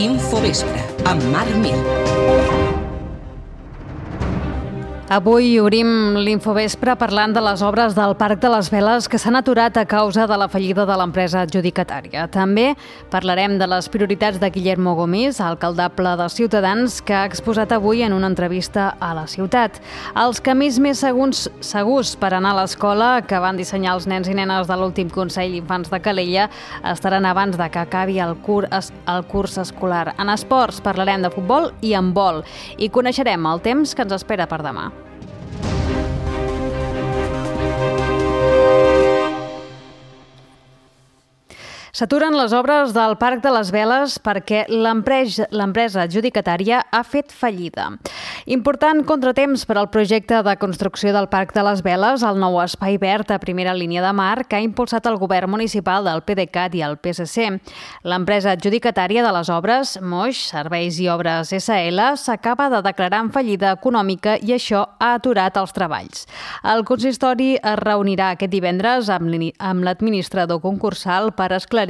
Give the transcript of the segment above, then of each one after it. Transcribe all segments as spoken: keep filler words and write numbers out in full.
Infovespre, amb Marc Mir. Avui obrim l'Infovespre parlant de les obres del Parc de les Veles que s'han aturat a causa de la fallida de l'empresa adjudicatària. També parlarem de les prioritats de Guillermo Gomis, alcaldable de Ciutadans, que ha exposat avui en una entrevista a La Ciutat. Els camins més segurs, segurs per anar a l'escola que van dissenyar els nens i nenes de l'últim Consell d'Infants de Calella estaran abans de que acabi el curs, el curs escolar. En esports parlarem de futbol i handbol i coneixerem el temps que ens espera per demà. S'aturen les obres del Parc de les Veles perquè l'empresa adjudicatària ha fet fallida. Important contratemps per al projecte de construcció del Parc de les Veles, el nou espai verd a primera línia de mar que ha impulsat el govern municipal del PDeCAT i el P S C. L'empresa adjudicatària de les obres, Moix, Serveis i Obres S L, s'acaba de declarar en fallida econòmica i això ha aturat els treballs. El consistori es reunirà aquest divendres amb l'administrador concursal per esclarir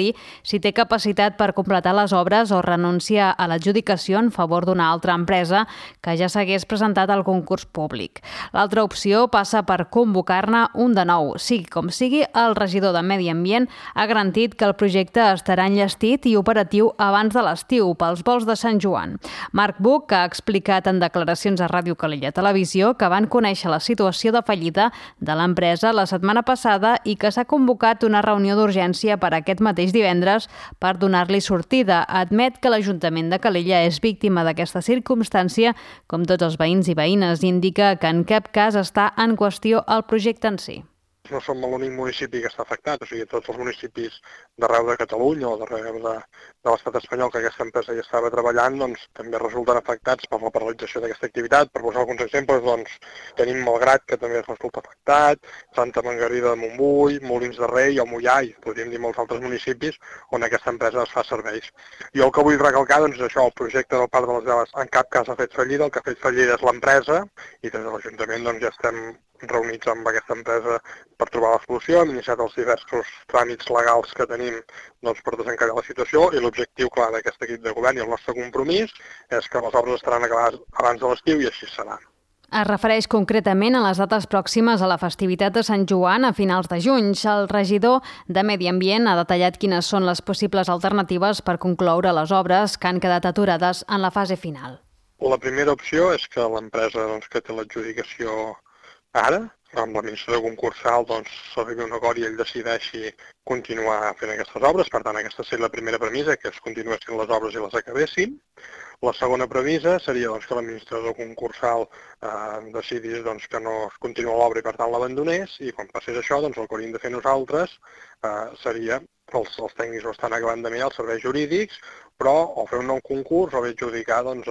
si té capacitat per completar les obres o renuncia a l'adjudicació en favor d'una altra empresa que ja s'hagués presentat al concurs públic. L'altra opció passa per convocar-ne un de nou. Sigui com sigui, el regidor de Medi Ambient ha garantit que el projecte estarà enllestit i operatiu abans de l'estiu pels vols de Sant Joan. Marc Buch ha explicat en declaracions a Ràdio Calella Televisió que van conèixer la situació de fallida de l'empresa la setmana passada i que s'ha convocat una reunió d'urgència per aquest mateix divendres per donar-li sortida. Admet que l'Ajuntament de Calella és víctima d'aquesta circumstància, com tots els veïns i veïnes, i indica que en cap cas està en qüestió el projecte en si. No som l'únic municipi que està afectat, o sigui, tots els municipis d'arreu de Catalunya o d'arreu de, de l'estat espanyol que aquesta empresa ja estava treballant, doncs també resulten afectats per la paralització d'aquesta activitat. Per posar alguns exemples, doncs tenim Malgrat, que també resulta afectat, Santa Margarida de Montbui, Molins de Rei o Moià, i podríem dir molts altres municipis on aquesta empresa es fa serveis. Jo el que vull recalcar doncs, és això, el projecte del Parc de les Veles en cap cas ha fet fallida, el que ha fet fallida és l'empresa i des de l'Ajuntament doncs, ja estem reunits amb aquesta empresa per trobar la solució, hem iniciat els diversos tràmits legals que tenim doncs, per desencallar la situació i l'objectiu clar d'aquest equip de govern i el nostre compromís és que les obres estaran acabades abans de l'estiu i així serà. Es refereix concretament a les dates pròximes a la festivitat de Sant Joan a finals de juny. El regidor de Medi Ambient ha detallat quines són les possibles alternatives per concloure les obres que han quedat aturades en la fase final. La primera opció és que l'empresa doncs, que té l'adjudicació ara, amb l'administrador concursal, doncs s'arribi a un acord i ell decideixi continuar fent aquestes obres. Per tant, aquesta seria la primera premissa, que es continuessin les obres i les acabessin. La segona premissa seria doncs, que l'administrador concursal eh, decidís doncs, que no es continua l'obra i per tant l'abandonés, i quan passés això, doncs, el que hauríem de fer nosaltres eh, seria, els, els tècnics ho estan acabant de mirar, els serveis jurídics, però o fer un nou concurs o bé adjudicar doncs,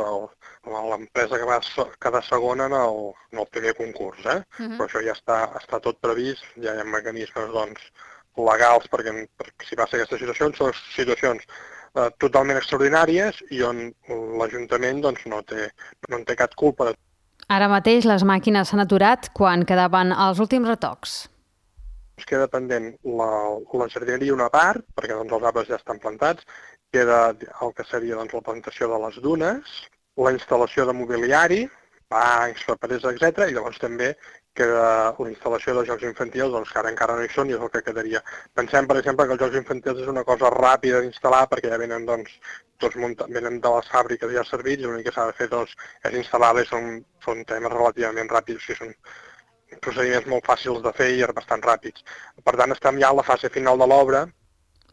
l'empresa que va quedar segona en el, en el primer concurs. Eh? Uh-huh. Però això ja està, està tot previst, ja hi ha mecanismes doncs, legals perquè, perquè si passa aquesta situació, són situacions eh, totalment extraordinàries i on l'Ajuntament doncs, no, té, no en té cap culpa. Ara mateix les màquines s'han aturat quan quedaven els últims retocs. Es queda pendent la, la jardineria una part, perquè doncs, els arbres ja estan plantats, queda el que seria doncs, la plantació de les dunes, la instal·lació de mobiliari, bancs, paperers, etcètera, i llavors també queda la instal·lació de jocs infantils, doncs, que ara encara no hi són i és el que quedaria. Pensem, per exemple, que els jocs infantils és una cosa ràpida d'instal·lar perquè ja venen, doncs, tots munta- venen de les fàbriques ja servits i l'únic que s'ha de fer doncs, és instal·lar-les, són, són temes relativament ràpids, o sigui, són procediments molt fàcils de fer i bastant ràpids. Per tant, estem ja a la fase final de l'obra.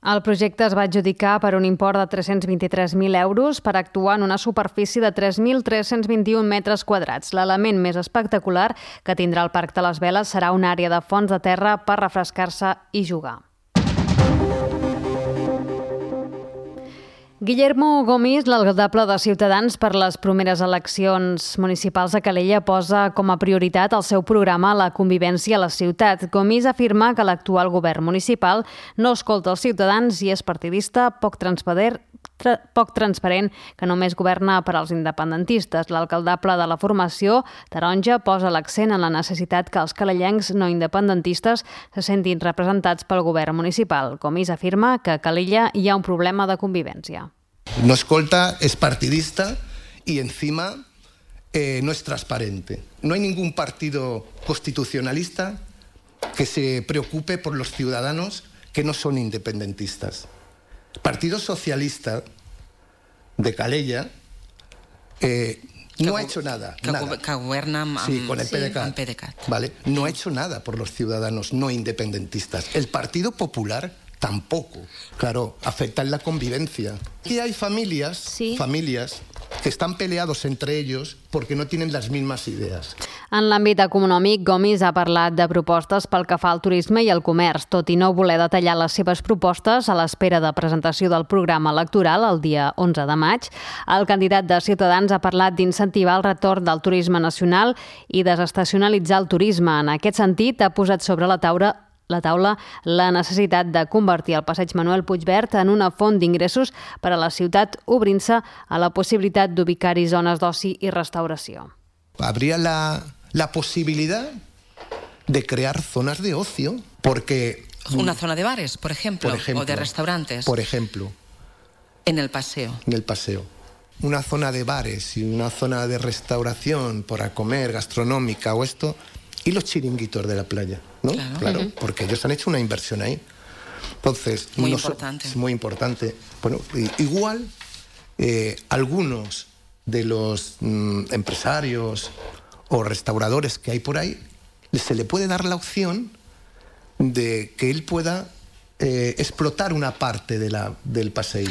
El projecte es va adjudicar per un import de tres-cents vint-i-tres mil euros per actuar en una superfície de tres mil tres-cents vint-i-un metres quadrats. L'element més espectacular que tindrà el Parc de les Veles serà una àrea de fons de terra per refrescar-se i jugar. Guillermo Gomis, l'alcaldable de Ciutadans per les properes eleccions municipals a Calella, posa com a prioritat el seu programa La convivència a la ciutat. Gomis afirma que l'actual govern municipal no escolta els ciutadans i és partidista, poc transparent, tra- poc transparent, que només governa per als independentistes. L'alcaldable de la formació taronja posa l'accent en la necessitat que els calellencs no independentistes se sentin representats pel govern municipal. Gomis afirma que a Calella hi ha un problema de convivència. no escolta, es partidista y encima eh, no es transparente. No hay ningún partido constitucionalista que se preocupe por los ciudadanos que no son independentistas. El Partido Socialista de Calella eh, no ha hecho nada. Que, nada. que governa amb, sí, con el sí, PDeCAT. amb PDeCAT. Vale. No ha hecho nada por los ciudadanos no independentistas. El Partido Popular tampoco. Claro, afecta en la convivencia. Aquí hay familias, sí. familias que están peleados entre ellos porque no tienen las mismas ideas. En l'àmbit econòmic, Gomis ha parlat de propostes pel que fa al turisme i al comerç, tot i no voler detallar les seves propostes a l'espera de presentació del programa electoral el dia onze de maig. El candidat de Ciutadans ha parlat d'incentivar el retorn del turisme nacional i desestacionalitzar el turisme. En aquest sentit, ha posat sobre la taula la taula la necessitat de convertir el passeig Manuel Puigverd en una font d'ingressos per a la ciutat, obrint-se a la possibilitat d'ubicar-hi zones d'oci i restauració. Habría la, la posibilidad de crear zonas de ocio, porque... Una zona de bares, por ejemplo, por ejemplo o de restaurantes. Por ejemplo. En el paseo. En el paseo. Una zona de bares y una zona de restauración para comer, gastronómica o esto... Y los chiringuitos de la playa, ¿no? Claro, claro uh-huh. porque ellos han hecho una inversión ahí. Entonces, muy no importante. So, es muy importante. Bueno, igual eh, algunos de los mm, empresarios o restauradores que hay por ahí, se le puede dar la opción de que él pueda eh, explotar una parte de la, del paseo.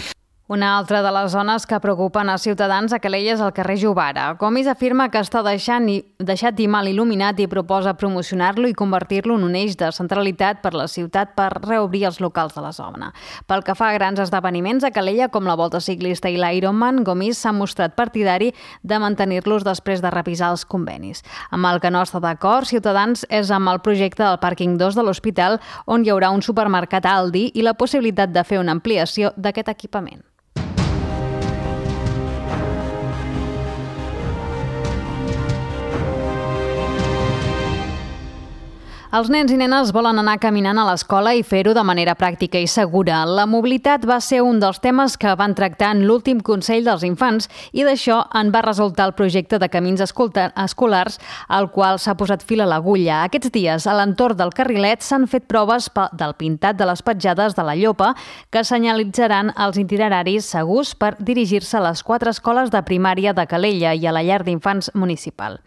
Una altra de les zones que preocupen a Ciutadans a Calella és el carrer Jovara. Gomis afirma que està deixant i, deixat i mal il·luminat i proposa promocionar-lo i convertir-lo en un eix de centralitat per la ciutat per reobrir els locals de la zona. Pel que fa a grans esdeveniments a Calella, com la Volta Ciclista i l'Ironman, Gomis s'ha mostrat partidari de mantenir-los després de revisar els convenis. Amb el que no està d'acord, Ciutadans és amb el projecte del pàrquing dos de l'Hospital, on hi haurà un supermercat Aldi i la possibilitat de fer una ampliació d'aquest equipament. Els nens i nenes volen anar caminant a l'escola i fer-ho de manera pràctica i segura. La mobilitat va ser un dels temes que van tractar en l'últim Consell dels Infants i d'això en va resultar el projecte de camins escolars al qual s'ha posat fil a l'agulla. Aquests dies, a l'entorn del carrilet, s'han fet proves del pintat de les petjades de la Llopa que senyalitzaran els itineraris segurs per dirigir-se a les quatre escoles de primària de Calella i a la llar d'infants municipal.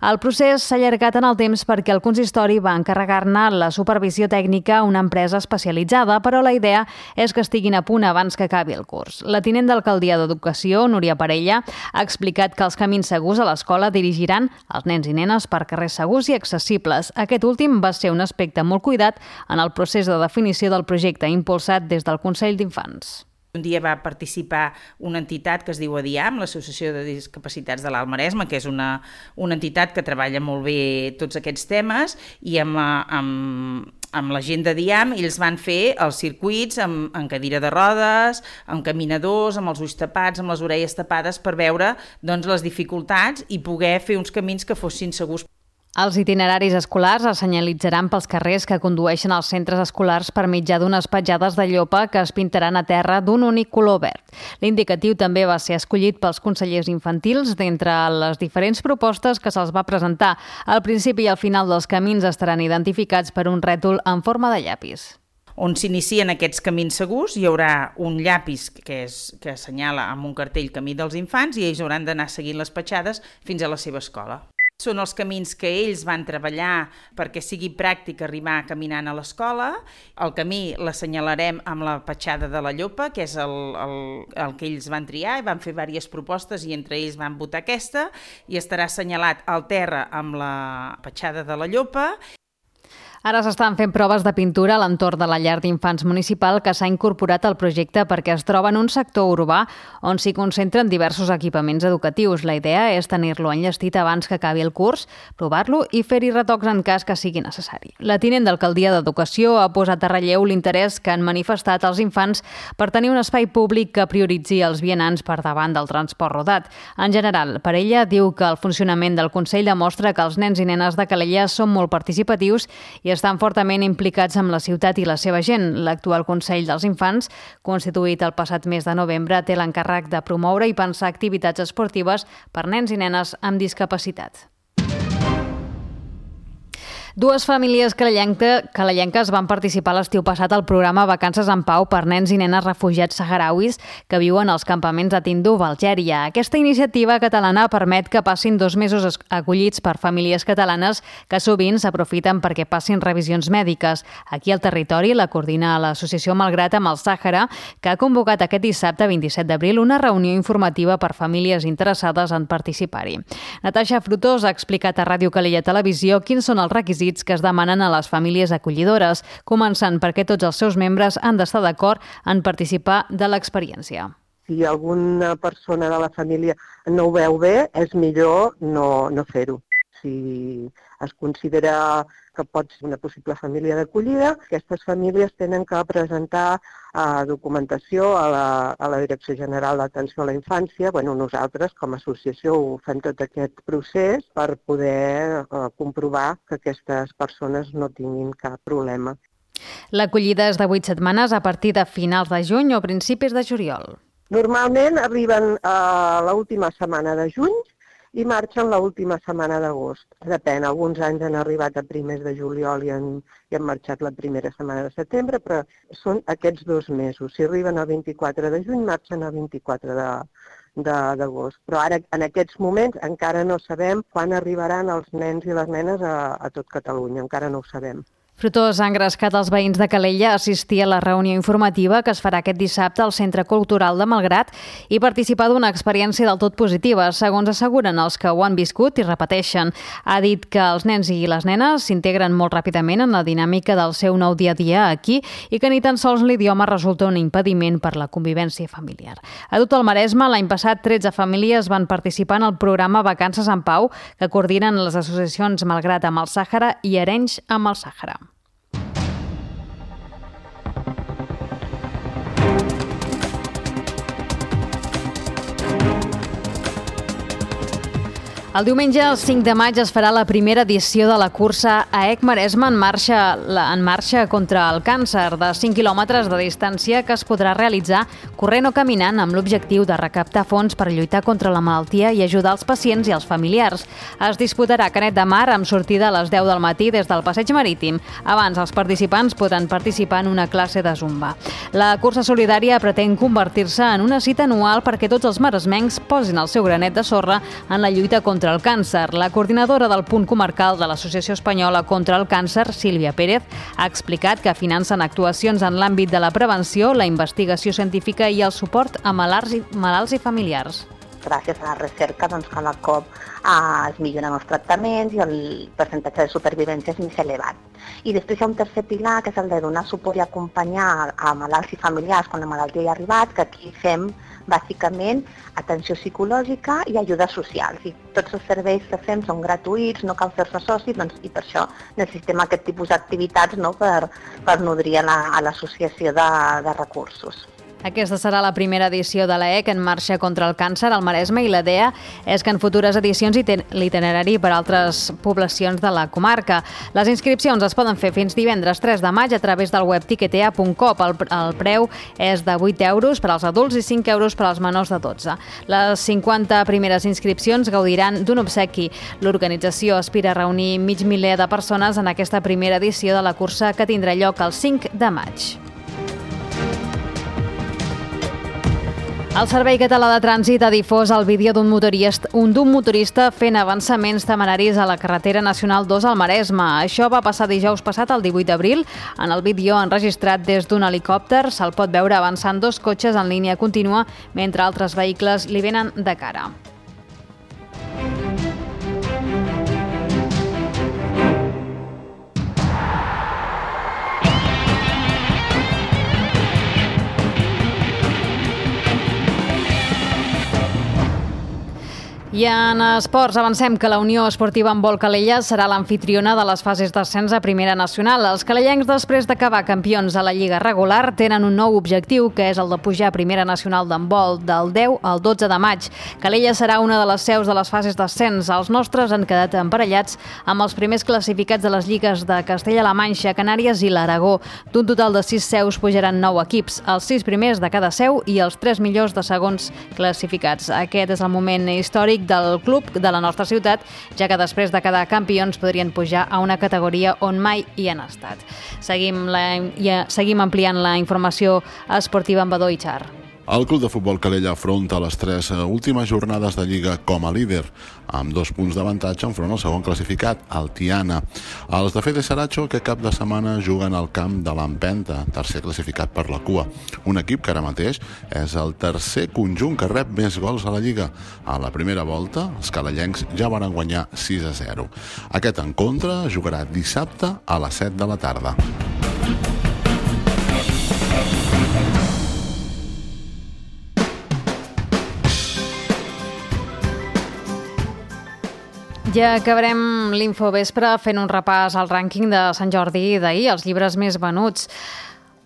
El procés s'ha allargat en el temps perquè el consistori va encarregar-ne la supervisió tècnica a una empresa especialitzada, però la idea és que estiguin a punt abans que acabi el curs. La tinent d'alcaldia d'Educació, Núria Parella, ha explicat que els camins segurs a l'escola dirigiran els nens i nenes per carrers segurs i accessibles. Aquest últim va ser un aspecte molt cuidat en el procés de definició del projecte impulsat des del Consell d'Infants. Un dia va participar una entitat que es diu ADIAM, l'Associació de Discapacitats de l'Alt Maresme, que és una, una entitat que treballa molt bé tots aquests temes, i amb, amb, amb la gent d'ADIAM ells van fer els circuits amb, amb cadira de rodes, amb caminadors, amb els ulls tapats, amb les orelles tapades, per veure doncs, les dificultats i poder fer uns camins que fossin segurs. Els itineraris escolars es senyalitzaran pels carrers que condueixen als centres escolars per mitjà d'unes petjades de llopa que es pintaran a terra d'un únic color verd. L'indicatiu també va ser escollit pels consellers infantils d'entre les diferents propostes que se'ls va presentar. Al principi i al final dels camins estaran identificats per un rètol en forma de llapis. On s'inicien aquests camins segurs hi haurà un llapis que, és, que assenyala amb un cartell Camí dels Infants i ells hauran d'anar seguint les petjades fins a la seva escola. Són els camins que ells van treballar perquè sigui pràctic arribar caminant a l'escola. El camí l'assenyalarem amb la petjada de la Llopa, que és el, el, el que ells van triar, i van fer diverses propostes i entre ells van votar aquesta, i estarà assenyalat al terra amb la petjada de la Llopa. Ara s'estan fent proves de pintura a l'entorn de la llar d'infants municipal que s'ha incorporat al projecte perquè es troba en un sector urbà on s'hi concentren diversos equipaments educatius. La idea és tenir-lo enllestit abans que acabi el curs, provar-lo i fer-hi retocs en cas que sigui necessari. La tinent d'alcaldia d'Educació ha posat a relleu l'interès que han manifestat els infants per tenir un espai públic que prioritzi els vianants per davant del transport rodat. En general, per ella, diu que el funcionament del Consell demostra que els nens i nenes de Calella són molt participatius i estan fortament implicats amb la ciutat i la seva gent. L'actual Consell dels Infants, constituït el passat mes de novembre, té l'encàrrec de promoure i pensar activitats esportives per nens i nenes amb discapacitat. Dues famílies calellenques van participar l'estiu passat al programa Vacances en Pau per nens i nenes refugiats saharauis que viuen als campaments de Tindouf, Algèria. Aquesta iniciativa catalana permet que passin dos mesos acollits per famílies catalanes que sovint s'aprofiten perquè passin revisions mèdiques. Aquí al territori la coordina l'associació Malgrat amb el Sàhara, que ha convocat aquest dissabte vint-i-set d'abril una reunió informativa per famílies interessades en participar-hi. Natasha Frutós ha explicat a Ràdio Calella Televisió quins són els requisits que es demanen a les famílies acollidores, començant perquè tots els seus membres han d'estar d'acord en participar de l'experiència. Si alguna persona de la família no ho veu bé, és millor no, no fer-ho. Si es considera que pot ser una possible família d'acollida, aquestes famílies tenen que presentar eh, documentació a la, a la Direcció General d'Atenció a la Infància. Bueno, nosaltres, com a associació, ho fem tot aquest procés per poder eh, comprovar que aquestes persones no tinguin cap problema. L'acollida és de vuit setmanes a partir de finals de juny o principis de juliol. Normalment arriben a l'última setmana de juny i marxen l'última setmana d'agost. Depèn, alguns anys han arribat a primers de juliol i han, i han marxat la primera setmana de setembre, però són aquests dos mesos. Si arriben el vint-i-quatre de juny, marxen el vint-i-quatre d'agost. Però ara, en aquests moments, encara no sabem quan arribaran els nens i les nenes a, a tot Catalunya, encara no ho sabem. Frutós ha engrescat els veïns de Calella a assistir a la reunió informativa que es farà aquest dissabte al Centre Cultural de Malgrat i participar d'una experiència del tot positiva, segons asseguren els que ho han viscut i repeteixen. Ha dit que els nens i les nenes s'integren molt ràpidament en la dinàmica del seu nou dia a dia aquí i que ni tan sols l'idioma resulta un impediment per la convivència familiar. A tot el Maresme, l'any passat, tretze famílies van participar en el programa Vacances en Pau, que coordinen les associacions Malgrat amb el Sàhara i Arenys amb el Sàhara. El diumenge, el cinc de maig, es farà la primera edició de la cursa A E C Maresme en marxa, en marxa contra el càncer, de cinc quilòmetres de distància que es podrà realitzar corrent o caminant amb l'objectiu de recaptar fons per lluitar contra la malaltia i ajudar els pacients i els familiars. Es disputarà a Canet de Mar amb sortida a les deu del matí des del Passeig Marítim. Abans, els participants poden participar en una classe de zumba. La cursa solidària pretén convertir-se en una cita anual perquè tots els maresmencs posin el seu granet de sorra en la lluita contra el càncer. La coordinadora del punt comarcal de l'Associació Espanyola contra el Càncer, Sílvia Pérez, ha explicat que financen actuacions en l'àmbit de la prevenció, la investigació científica i el suport a malalts i, malalts i familiars. Gràcies a la recerca, doncs, cada cop eh, es milloren els tractaments i el percentatge de supervivència és més elevat. I després hi ha un tercer pilar, que és el de donar suport i acompanyar a malalts i familiars quan la malaltia hi ha arribat, que aquí fem bàsicament atenció psicològica i ajudes socials. I tots els serveis que fem són gratuïts, no cal fer-se soci, doncs, i per això necessitem aquest tipus d'activitats, no, per, per nodrir a l'associació de, de recursos. Aquesta serà la primera edició de l'A E C en marxa contra el càncer al Maresme i la idea és que en futures edicions hi té l'itinerari per a altres poblacions de la comarca. Les inscripcions es poden fer fins divendres tres de maig a través del web tiquetea punt com. El, el preu és de vuit euros per als adults i cinc euros per als menors de dotze. Les cinquanta primeres inscripcions gaudiran d'un obsequi. L'organització aspira a reunir mig miler de persones en aquesta primera edició de la cursa que tindrà lloc el cinc de maig. El Servei Català de Trànsit ha difós el vídeo d'un motorista, un d'un motorista fent avançaments temeraris a la carretera nacional dos al Maresme. Això va passar dijous passat, el divuit d'abril. En el vídeo enregistrat des d'un helicòpter se'l pot veure avançant dos cotxes en línia contínua mentre altres vehicles li venen de cara. I en esports avancem que la Unió Esportiva Handbol Calella serà l'amfitriona de les fases d'ascens a Primera Nacional. Els calellencs, després d'acabar campions a la Lliga regular, tenen un nou objectiu, que és el de pujar a Primera Nacional d'handbol del deu al dotze de maig. Calella serà una de les seus de les fases d'ascens. Els nostres han quedat emparellats amb els primers classificats de les lligues de Castella-La Manxa, Canàries i l'Aragó. D'un total de sis seus pujaran nou equips, els sis primers de cada seu i els tres millors de segons classificats. Aquest és el moment històric del club de la nostra ciutat, ja que després de quedar campions podrien pujar a una categoria on mai hi han estat. Seguim, la, ja, seguim ampliant la informació esportiva amb Badó i Char. El Club de Futbol Calella afronta les tres últimes jornades de Lliga com a líder, amb dos punts d'avantatge enfront al segon classificat, el Tiana. Els de Fede Saracho, que cap de setmana juguen al camp de l'Empenta, tercer classificat per la cua. Un equip que ara mateix és el tercer conjunt que rep més gols a la Lliga. A la primera volta, els calellencs ja van guanyar sis a zero. Aquest encontre jugarà dissabte a les set de la tarda. Ja acabarem l'Infovespre fent un repàs al rànquing de Sant Jordi d'ahir, els llibres més venuts.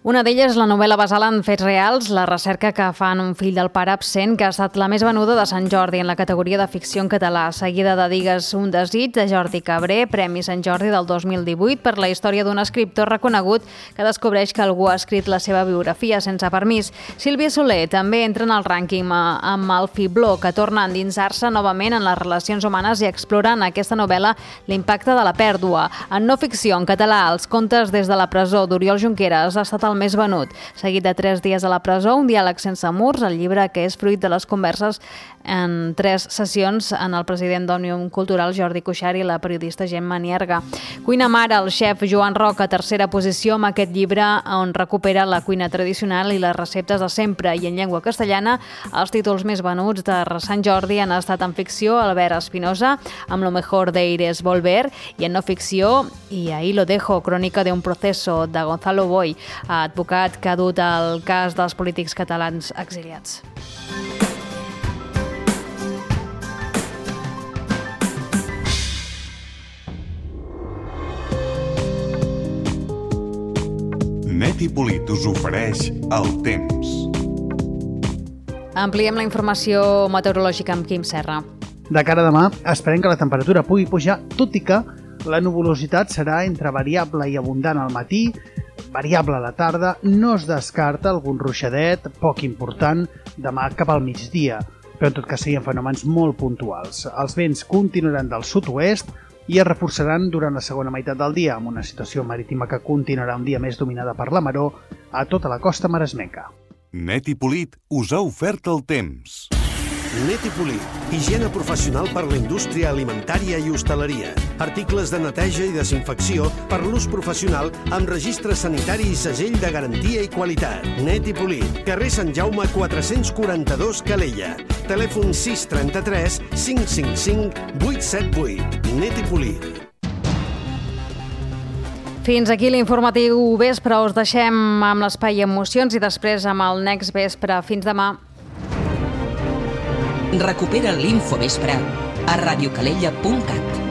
Una d'elles, la novel·la basada en fets reals, la recerca que fan un fill del pare absent, que ha estat la més venuda de Sant Jordi en la categoria de ficció en català, seguida de Digues un desig, de Jordi Cabré, Premi Sant Jordi del dos mil divuit per la història d'un escriptor reconegut que descobreix que algú ha escrit la seva biografia sense permís. Sílvia Soler també entra en el rànquing amb El Fibló, que torna a endinsar-se novament en les relacions humanes i explora en aquesta novel·la l'impacte de la pèrdua. En no ficció en català, Els contes des de la presó d'Oriol Junqueras ha estat el més venut. Seguit de tres dies a la presó, Un diàleg sense murs, el llibre que és fruit de les converses en tres sessions en el president d'Òmnium Cultural, Jordi Cuixart, i la periodista Gemma Nierga. Cuina mare, el xef Joan Roca, tercera posició amb aquest llibre on recupera la cuina tradicional i les receptes de sempre, i en llengua castellana els títols més venuts de Sant Jordi han estat en ficció Albert Espinosa, amb Lo mejor de ir es volver, i en no ficció Y ahí lo dejo, crònica d'un proceso, de Gonzalo Boy, advocat que ha dut el cas dels polítics catalans exiliats. Net i Polit us ofereix el temps. Ampliem la informació meteorològica amb Quim Serra. De cara a demà, esperem que la temperatura pugui pujar, tot i que la nuvolositat serà entre variable i abundant al matí, variable a la tarda, no es descarta algun ruixadet poc important demà cap al migdia, però en tot cas serien fenòmens molt puntuals. Els vents continuaran del sud-oest i es reforçaran durant la segona meitat del dia, amb una situació marítima que continuarà un dia més dominada per la maró a tota la costa maresmenca. Net i Polit us ha ofert el temps. Net i Polit, higiene professional per la indústria alimentària i hostaleria. Articles de neteja i desinfecció per l'ús professional amb registre sanitari i segell de garantia i qualitat. Net i Polit, carrer Sant Jaume quatre-cents quaranta-dos, Calella. Telèfon sis trenta-tres cinc cinc cinc vuit set vuit. Net i Polit. Fins aquí l'informatiu vespre. Us deixem amb l'espai Emocions i després amb el Next Vespre. Fins demà. Recupera l'Infovespre a radiocalella punt cat.